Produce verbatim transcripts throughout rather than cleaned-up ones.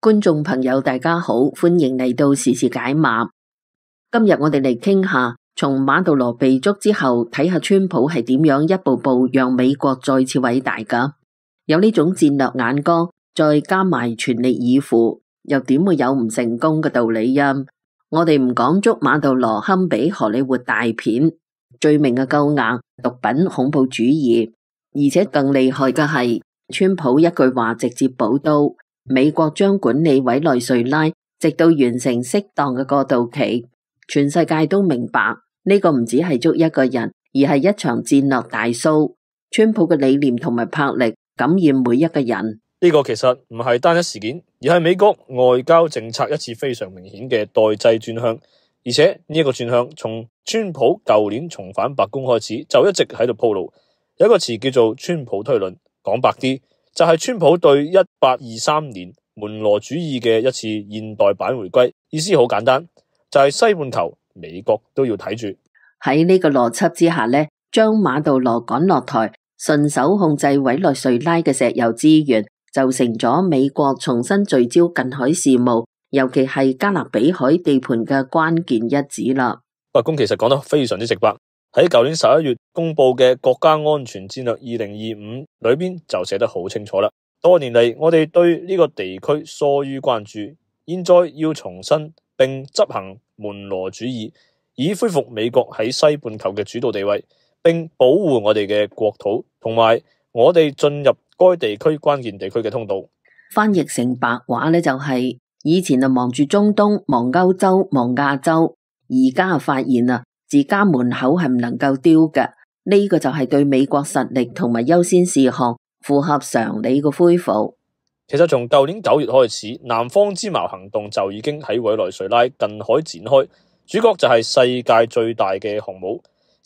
觀眾朋友大家好，歡迎嚟到時事解碼。今日我哋嚟傾下，從馬杜羅被捉之後，睇下川普係點樣一步步讓美國再次偉大噶。有呢種戰略眼光，再加埋全力以赴，又點會有唔成功嘅道理啊？我哋唔講捉馬杜羅堪比荷里活大片，罪名嘅夠硬，毒品、恐怖主義，而且更厲害嘅係，川普一句話直接補刀。美國將管理委內瑞拉，直到完成適當嘅過渡期。全世界都明白呢個唔只係捉一個人，而係一場戰略大 show。川普嘅理念同埋魄力感染每一個人。呢個其實唔係單一事件，而係美國外交政策一次非常明顯嘅代際轉向。而且呢一個轉向從川普舊年重返白宮開始，就一直喺度鋪路。有一個詞叫做川普推論，講白啲，就係川普對一八二三年門羅主義嘅一次現代版回歸，意思好簡單，就係西半球美國都要睇住。喺呢個邏輯之下呢，將馬杜羅趕落台，順手控制委內瑞拉嘅石油資源，就成咗美國重新聚焦近海事務，尤其係加勒比海地盤嘅關鍵一指啦。白宮其實講得非常之直白，喺舊年十一月公布嘅國家安全戰略二零二五裏邊就寫得好清楚啦。多年嚟，我哋對呢個地區疏於關注，現在要重新並執行門羅主義，以恢復美國喺西半球嘅主導地位，並保護我哋嘅國土同埋我哋進入該地區關鍵地區嘅通道。翻譯成白話呢，就係、是、以前就忙住中東、忙歐洲、忙亞洲，而家發現啊，自家門口係唔能夠丟嘅。呢、這個就係對美國實力同埋優先事項符合常理嘅恢復。其實從舊年九月開始，南方之矛行動就已經喺委內瑞拉近海展開，主角就係世界最大嘅航母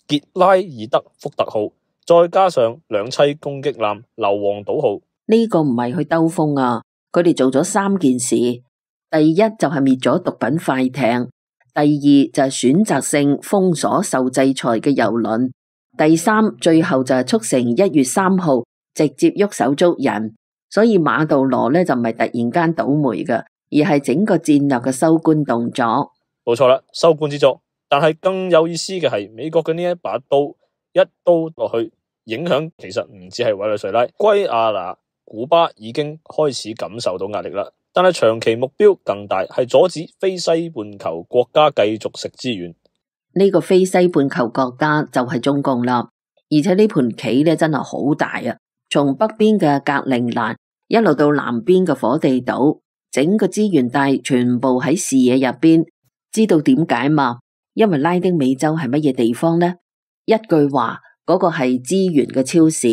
傑拉爾德福特號，再加上兩棲攻擊艦硫磺島號。呢個唔係去兜風啊，佢哋做咗三件事。第一就係滅咗毒品快艇，第二就係選擇性封鎖受制裁嘅郵輪，第三最後就係促成一月三號直接喐手捉人。所以馬杜羅呢就唔係突然間倒霉嘅，而係整個戰略嘅收官動作。冇錯啦，收官之作。但係更有意思嘅係，美國嘅呢一把刀一刀落去，影響其實唔止係委內瑞拉、圭亞那、古巴已經開始感受到壓力啦。但係長期目標更大，係阻止非西半球國家繼續食資源。呢個非西半球國家就係中共啦，而且呢盤棋咧真係好大啊！從北邊嘅格陵蘭一路到南邊嘅火地島，整個資源帶全部喺視野入邊。知道點解嘛？因為拉丁美洲係乜嘢地方呢？一句話，嗰個係資源嘅超市。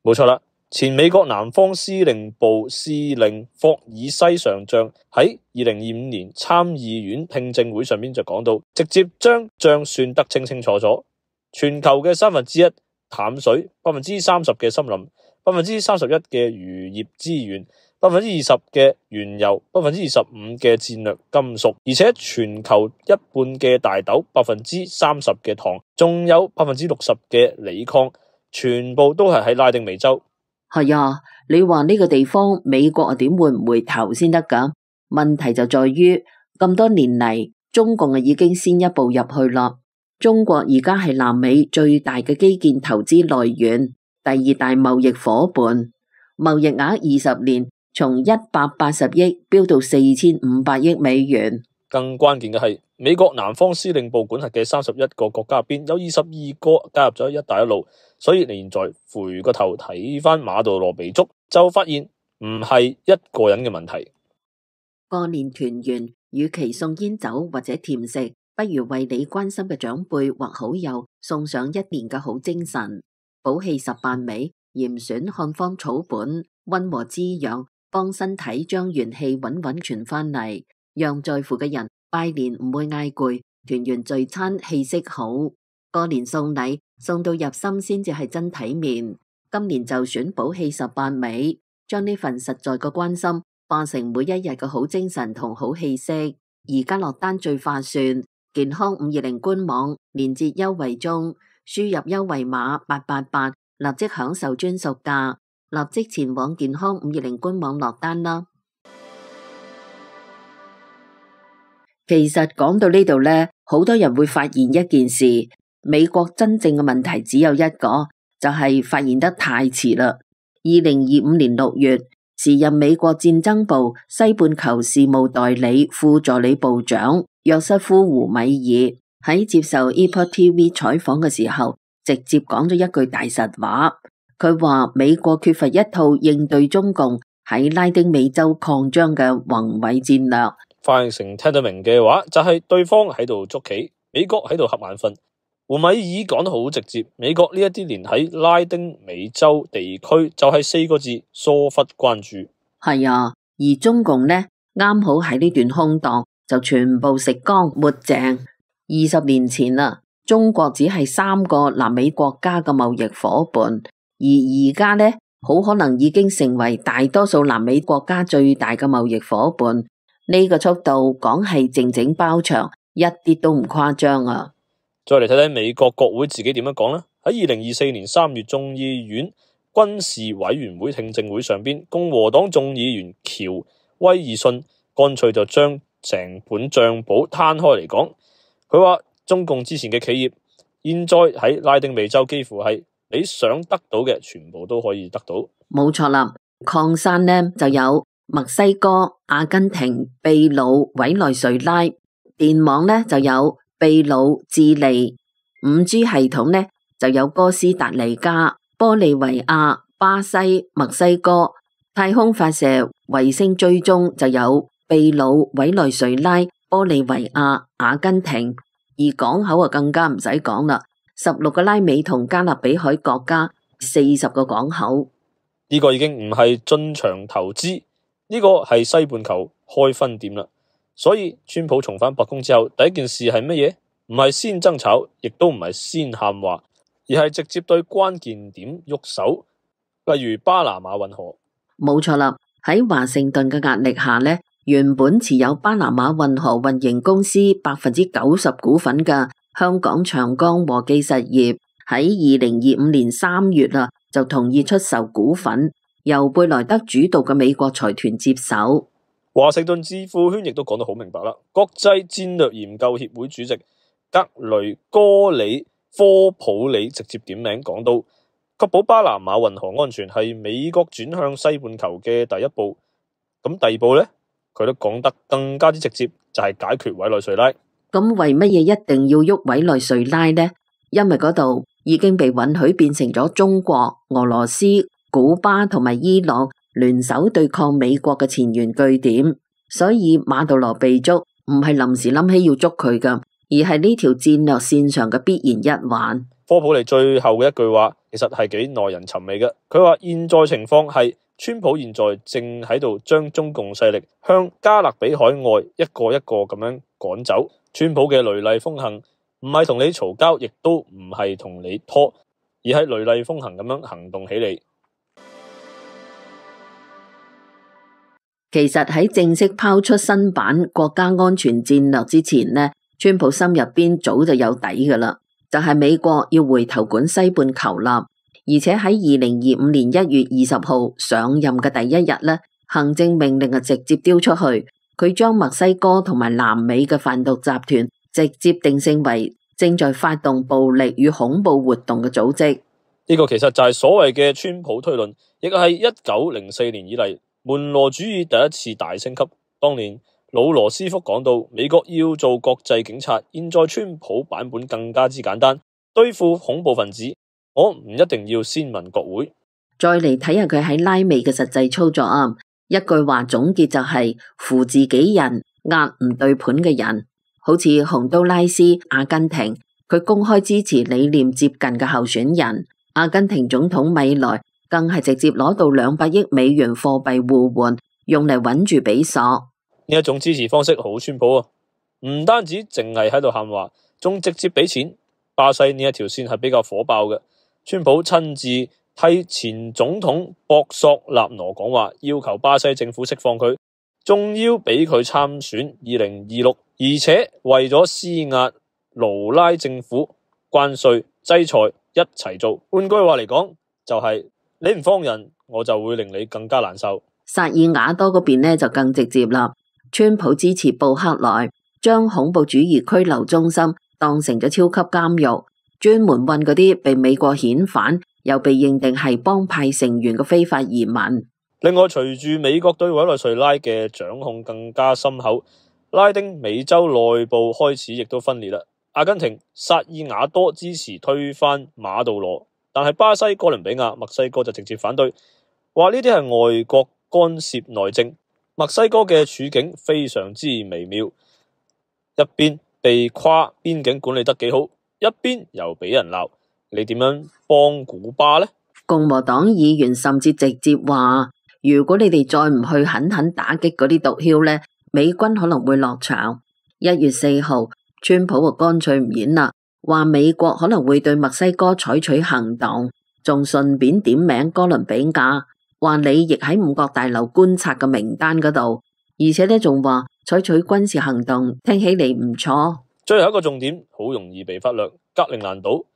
冇錯啦，前美國南方司令部司令霍爾西上將喺二零二五年參議院聽證會上面就講到，直接將賬算得清清楚楚。全球嘅三分之一淡水，百分之三十嘅森林，百分之三十一嘅漁業資源，百分之二十嘅原油，百分之二十五嘅戰略金屬，而且全球一半嘅大豆，百分之三十嘅糖，仲有百分之六十嘅鋰礦，全部都係喺拉丁美洲。係啊，你話呢個地方美國啊點會唔回頭先得噶？問題就在於咁多年嚟，中共啊已經先一步入去啦。中國而家係南美最大嘅基建投資來源，第二大貿易夥伴，貿易額二十年從一百八十億飆到四千五百億美元。更關鍵嘅係，美國南方司令部管轄嘅三十一個國家入邊，有二十二個加入咗一帶一路。所以你現在回個頭睇翻馬杜羅被捉，就發現唔係一個人嘅問題。過年團圓，與其送煙酒或者甜食，不如為你關心嘅長輩或好友送上一年嘅好精神。補氣十八味，嚴選漢方草本，溫和滋養，幫身體將元氣穩穩傳翻嚟，讓在乎嘅人拜年唔會嗌攰，團圓聚餐氣息好。過年送禮送到入心先至係真體面。今年就選補氣十八味，將呢份實在嘅關心化成每一日嘅好精神同好氣息。而家落單最划算，健康五二零官網連結優惠中，輸入優惠碼八八八，立即享受專屬價。立即前往健康五二零官網落單啦。其實講到呢度呢，好多人會發現一件事，美國真正嘅問題只有一個，就係發現得太遲啦。二零二五年六月，時任美國戰爭部西半球事務代理副助理部長約瑟夫胡米爾喺接受 Epoch T V 採訪嘅時候，直接講咗一句大實話。佢話美國缺乏一套應對中共喺拉丁美洲擴張嘅宏偉戰略。翻譯成聽得明嘅話，就係對方喺度捉棋，美國喺度瞌眼瞓。胡米爾講得好直接，美國呢一啲年喺拉丁美洲地區就係四個字：疏忽關注。係啊，而中共呢，啱好喺呢段空檔就全部食光抹淨。二十年前啦，中國只係三個南美國家嘅貿易夥伴，而而家呢，好可能已經成為大多數南美國家最大嘅貿易夥伴。呢個速度講係靜靜包場，一啲都唔誇張啊！再嚟睇睇美國國會自己點樣講呢？喺二零二四年三月眾議院軍事委員會聽證會上邊，共和黨眾議員喬威爾遜乾脆就將成本賬簿攤開嚟講。佢話中共之前嘅企業現在喺拉丁美洲幾乎係你想得到嘅全部都可以得到。冇錯啦，礦山呢就有墨西哥、阿根廷、秘魯、委內瑞拉；電網呢就有秘魯、智利；五 G 系統呢就有哥斯達黎加、玻利維亞、巴西、墨西哥；太空發射、衛星追蹤就有秘魯、委內瑞拉、玻利維亞、阿根廷；而港口啊更加唔使講啦，十六個拉美同加勒比海國家，四十個港口。呢個已經唔係進場投資。呢個係西半球開分店啦，所以川普重返白宮之後，第一件事係乜嘢？唔係先爭吵，亦都唔係先喊話，而係直接對關鍵點喐手，例如巴拿馬運河。冇錯啦，喺華盛頓嘅壓力下呢，原本持有巴拿馬運河運營公司百分之九十股份嘅香港長江和記實業喺二零二五年三月啊，就同意出售股份，由貝萊德主導嘅美國財團接手。華盛頓智庫圈亦都講得好明白啦。國際戰略研究協會主席格雷戈里科普里直接點名講到，確保巴拿馬運河安全係美國轉向西半球嘅第一步。咁第二步呢，佢都講得更加之直接，就係解決委內瑞拉。咁為乜嘢一定要喐委內瑞拉呢？因為嗰度已經被允許變成咗中國、俄羅斯、古巴同埋伊朗聯手對抗美國嘅前沿據點，所以馬杜羅被捉唔係臨時諗起要捉佢噶，而係呢條戰略線上嘅必然一環。科普利最後嘅一句話，其實係幾耐人尋味嘅。佢話現在情況係，川普現在正喺度將中共勢力向加勒比海外一個一個咁樣趕走。川普嘅雷厲風行，唔係同你嘈交，亦都唔係同你拖，而係雷厲風行咁樣行動起嚟。其實喺正式拋出新版國家安全戰略之前呢，川普心入邊早就有底噶啦，就係美國要回頭管西半球啦。而且喺二零二五年一月二十號上任嘅第一日呢，行政命令啊直接丟出去，佢將墨西哥同埋南美嘅販毒集團直接定性為正在發動暴力與恐怖活動嘅組織。呢個其實就係所謂嘅川普推論，亦係一九零四年以嚟門羅主義第一次大升級。當年老羅斯福講到，美國要做國際警察，現在川普版本更加之簡單，對付恐怖分子，我唔一定要先問國會。再嚟睇下佢喺拉美嘅實際操作啊，一句話總結就係扶自己人，壓唔對盤嘅人。好似洪都拉斯、阿根廷，佢公開支持理念接近嘅候選人。阿根廷總統米萊更係直接攞到兩百億美元貨幣互換，用嚟穩住比索。呢一種支持方式好川普啊，唔單止淨係喺度喊話，仲直接俾錢。巴西呢一條線係比較火爆嘅，川普親自替前總統博索納羅講話，要求巴西政府釋放佢，仲要俾佢參選二零二六，而且為咗施壓盧拉政府，關稅制裁一齊做。換句話嚟講，就係、是、你唔放人，我就會令你更加難受。薩爾瓦多嗰邊呢就更直接啦，川普支持布克萊，將恐怖主義拘留中心當成咗超級監獄，專門運嗰啲被美國遣返又被認定係幫派成員嘅非法移民。另外，隨住美國對委內瑞拉嘅掌控更加深厚，拉丁美洲內部開始亦都分裂啦。阿根廷、薩爾瓦多支持推翻馬杜羅，但係巴西、哥倫比亞、墨西哥就直接反對，話呢啲係外國干涉內政。墨西哥嘅處境非常之微妙，一邊被誇邊境管理得幾好，一邊又俾人鬧，你點樣幫古巴呢？共和黨議員甚至直接話，如果你哋再唔去狠狠打擊嗰啲毒梟呢，美軍可能會落場。一月四號，川普就乾脆唔演啦，話美國可能會對墨西哥採取行動，仲順便點名哥倫比亞，話你亦喺五角大樓觀察嘅名單嗰度，而且呢仲話採取軍事行動，聽起嚟唔錯。最後一個重點好容易被忽略，格陵蘭島，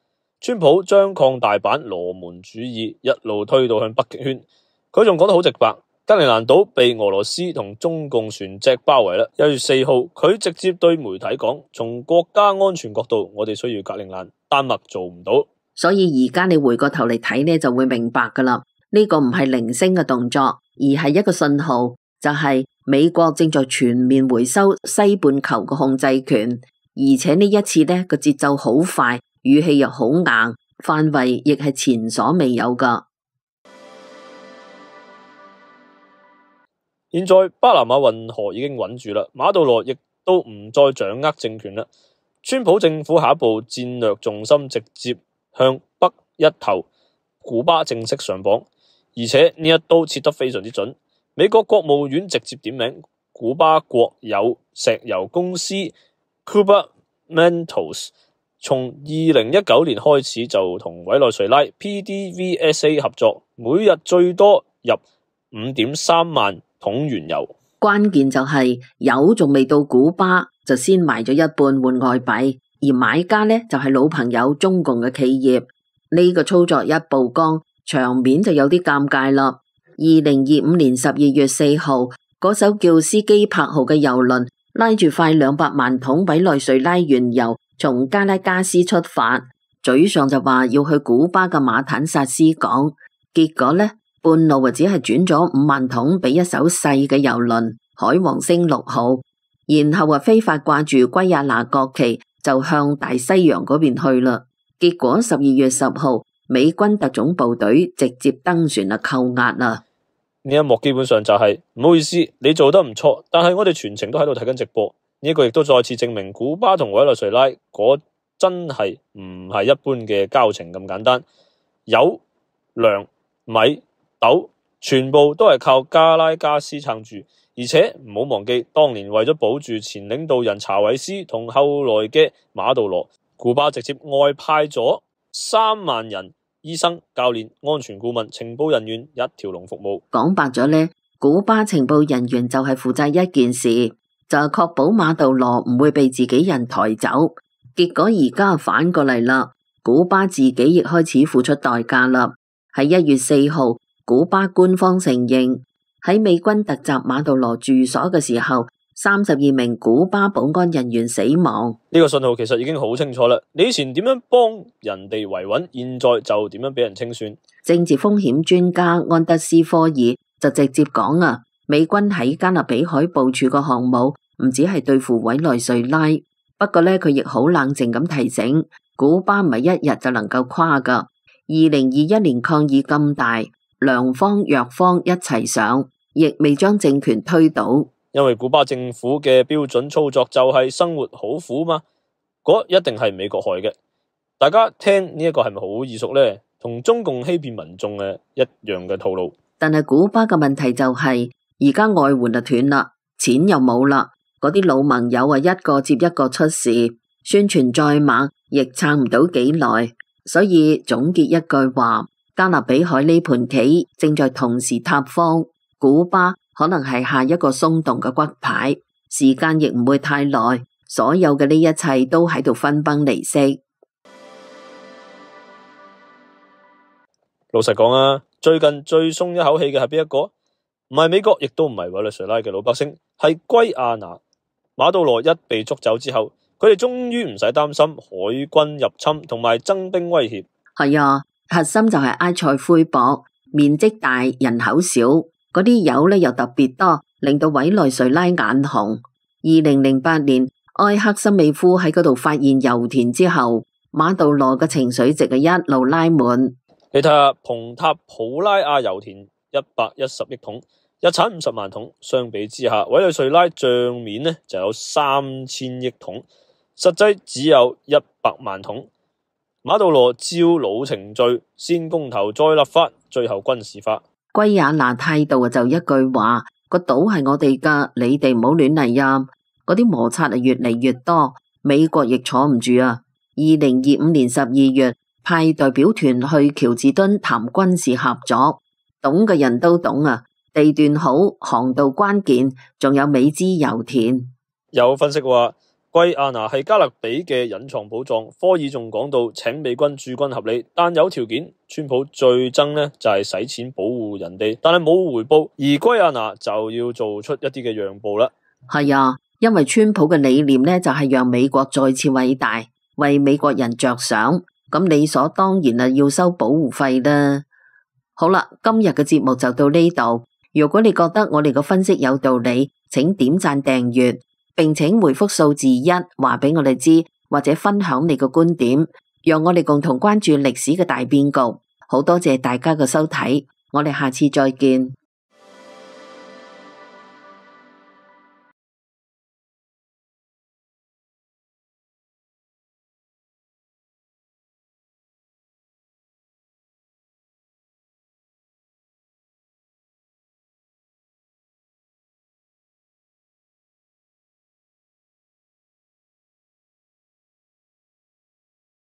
川普將擴大版羅門主義一路推到向北極圈。佢仲講得好直白，格陵蘭島被俄羅斯同中共船隻包圍啦。一月四號，佢直接對媒體講，從國家安全角度，我哋需要格陵蘭，丹麥做唔到。所以而家你回過頭嚟睇呢，就會明白噶啦，呢個唔係零星嘅動作，而係一個信號，就係美國正在全面回收西半球嘅控制權，而且呢一次呢個節奏好快，語氣又好硬，範圍亦係前所未有噶。現在巴拿馬運河已經穩住啦，馬杜羅亦都唔再掌握政權啦。川普政府下一步戰略重心直接向北一頭，古巴正式上榜，而且呢一刀切得非常之準。美國國務院直接點名古巴國有石油公司 Cuba Metals， 從二零一九年開始就同委內瑞拉 P D V S A 合作，每日最多入五點三萬桶原油。關鍵就係油仲未到古巴，就先賣咗一半換外幣，而買家呢就係老朋友中共嘅企業。呢個操作一曝光，場面就有啲尷尬啦。二零二五年十二月四號，嗰艘叫斯基柏號嘅油輪拉住快兩百萬桶委內瑞拉原油，從加拉加斯出發，嘴上就話要去古巴嘅馬坦薩斯港，結果呢，半路啊只係轉咗五萬桶俾一艘細嘅油輪海王星六號，然後啊非法掛住圭亞那國旗，就向大西洋嗰邊去啦。結果十二月十號，美軍特種部隊直接登船啊扣押啦。呢一幕基本上就係、是、唔好意思，你做得唔錯，但係我哋全程都喺度睇緊直播。呢、這個亦都再次證明古巴同委內瑞拉嗰真係唔係一般嘅交情咁簡單。油、糧、米、豆全部都係靠加拉加斯撐住，而且唔好忘記當年為咗保住前領導人查韋斯同後來嘅馬杜羅，古巴直接外派咗三萬人。醫生、教練、安全顧問、情報人員一條龍服務。講白咗呢，古巴情報人員就係負責一件事，就係確保馬杜羅唔會被自己人抬走。結果而家反過嚟啦，古巴自己亦開始付出代價啦。喺一月四號，古巴官方承認喺美軍突襲馬杜羅住所嘅時候，三十二名古巴保安人員死亡。呢個信號其實已經好清楚啦。你以前點樣幫人哋維穩，現在就點樣俾人清算。政治風險專家安德斯科爾就直接講啊，美軍喺加勒比海部署個項目唔止係對付委內瑞拉，不過呢，佢亦好冷靜咁提醒，古巴唔係一日就能夠垮噶。二零二一年抗議咁大，良方弱方一齊上，亦未將政權推倒。因為古巴政府嘅標準操作就係生活好苦嘛，嗰一定係美國害嘅。大家聽呢一個係咪好耳熟呢？同中共欺騙民眾嘅一樣嘅套路。但係古巴嘅問題就係而家外援就斷啦，錢又冇啦，嗰啲老盟友啊一個接一個出事，宣傳再猛亦撐唔到幾耐。所以總結一句話，加勒比海呢盤棋正在同時塌方，古巴可能係下一個鬆動嘅骨牌，時間亦唔會太耐，所有嘅呢一切都喺度分崩離析。老實講啊，最近最鬆一口氣嘅係邊一個？唔係美國，亦都唔係委內瑞拉嘅老百姓，係圭亞那。馬杜羅一被捉走之後，佢哋終於唔使擔心海軍入侵同埋增兵威脅。係啊，核心就係埃塞灰博，面積大，人口少，嗰啲油咧又特別多，令到委內瑞拉眼紅。二零零八年，埃克森美夫喺嗰度發現油田之後，馬杜羅嘅情緒值係一路拉滿。你睇下蓬塔普拉亞油田一百一十億桶，日產五十萬桶，相比之下，委內瑞拉賬面呢就有三千億桶，實際只有一百萬桶。馬杜羅照老程序，先公投再立法，最後軍事化。圭亞那態度就一句話：個島係我哋噶，你哋唔好亂嚟啊！嗰啲摩擦啊越嚟越多，美國亦坐唔住啊！二零二五年十二月，派代表團去喬治敦談軍事合作，懂嘅人都懂啊！地段好，航道關鍵，仲有美資油田。有分析話，圭亞那係加勒比嘅隱藏寶藏。科爾仲講到，請美軍駐軍合理，但有條件。川普最憎呢就係使錢保護人哋，但係冇回報，而圭亞那就要做出一啲嘅讓步啦。係啊，因為川普嘅理念呢就係讓美國再次偉大，為美國人着想，咁理所當然啊要收保護費啦。好啦，今日嘅節目就到呢度。如果你覺得我哋嘅分析有道理，請點讚訂閱，並請回覆數字一話俾我哋知，或者分享你嘅觀點，讓我哋共同關注歷史嘅大變局。好多謝大家嘅收睇，我哋下次再見。